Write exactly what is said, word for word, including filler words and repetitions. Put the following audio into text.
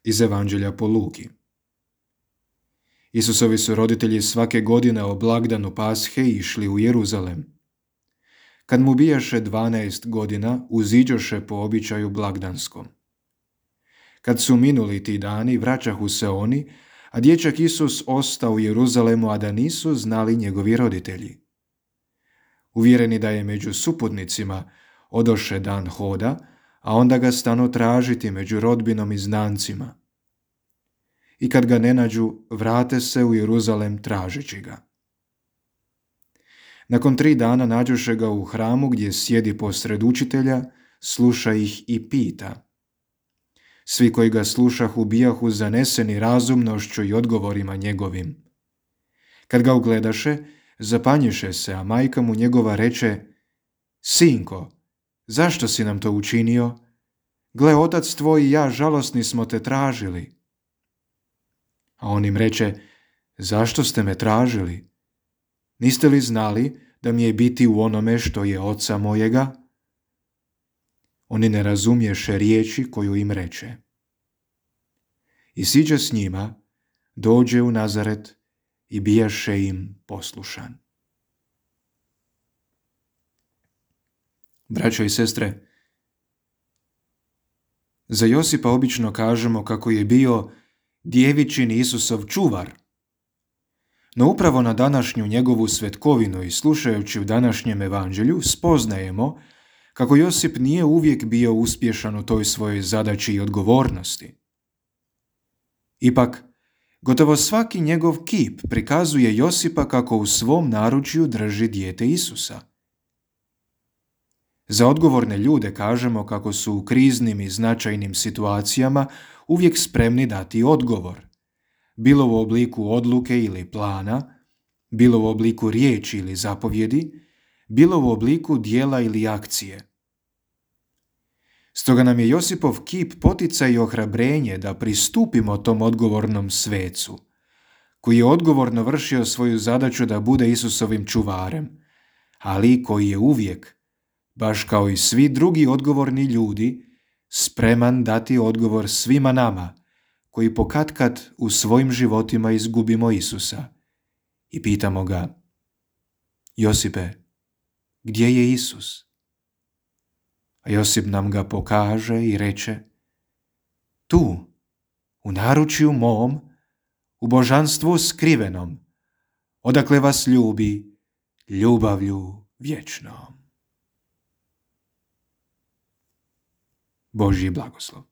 Iz Evanđelja po Luki. Isusovi su roditelji svake godine o blagdanu Pashe išli u Jeruzalem. Kad mu bijaše dvanaest godina, uziđoše po običaju blagdanskom. Kad su minuli ti dani, vraćahu se oni, a dječak Isus ostao u Jeruzalemu, a da nisu znali njegovi roditelji. Uvjereni da je među suputnicima, odoše dan hoda, a onda ga stanu tražiti među rodbinom i znancima. I kad ga ne nađu, vrate se u Jeruzalem tražeći ga. Nakon tri dana nađoše ga u hramu gdje sjedi posred učitelja, sluša ih i pita. Svi koji ga slušahu bijahu zaneseni razumnošću i odgovorima njegovim. Kad ga ugledaše, zapanjiše se, a majka mu njegova reče: Sinko, zašto si nam to učinio? Gle, otac tvoj i ja žalosni smo te tražili. A on im reče: Zašto ste me tražili? Niste li znali da mi je biti u onome što je oca mojega? Oni ne razumješe riječi koju im reče. I siđe s njima, dođe u Nazaret i bijaše im poslušan. Braćo i sestre, za Josipa obično kažemo kako je bio djevičin Isusov čuvar. No upravo na današnju njegovu svetkovinu i slušajući u današnjem evanđelju spoznajemo kako Josip nije uvijek bio uspješan u toj svojoj zadaći i odgovornosti. Ipak, gotovo svaki njegov kip prikazuje Josipa kako u svom naručju drži dijete Isusa. Za odgovorne ljude kažemo kako su u kriznim i značajnim situacijama uvijek spremni dati odgovor, bilo u obliku odluke ili plana, bilo u obliku riječi ili zapovjedi, bilo u obliku dijela ili akcije. Stoga nam je Josipov kip poticaj i ohrabrenje da pristupimo tom odgovornom svecu, koji je odgovorno vršio svoju zadaću da bude Isusovim čuvarem, ali koji je uvijek, baš kao i svi drugi odgovorni ljudi, spreman dati odgovor svima nama, koji pokatkad u svojim životima izgubimo Isusa i pitamo ga: Josipe, gdje je Isus? A Josip nam ga pokaže i reče: tu, u naručju mom, u božanstvu skrivenom, odakle vas ljubi ljubavlju vječnom. Božji blagoslov.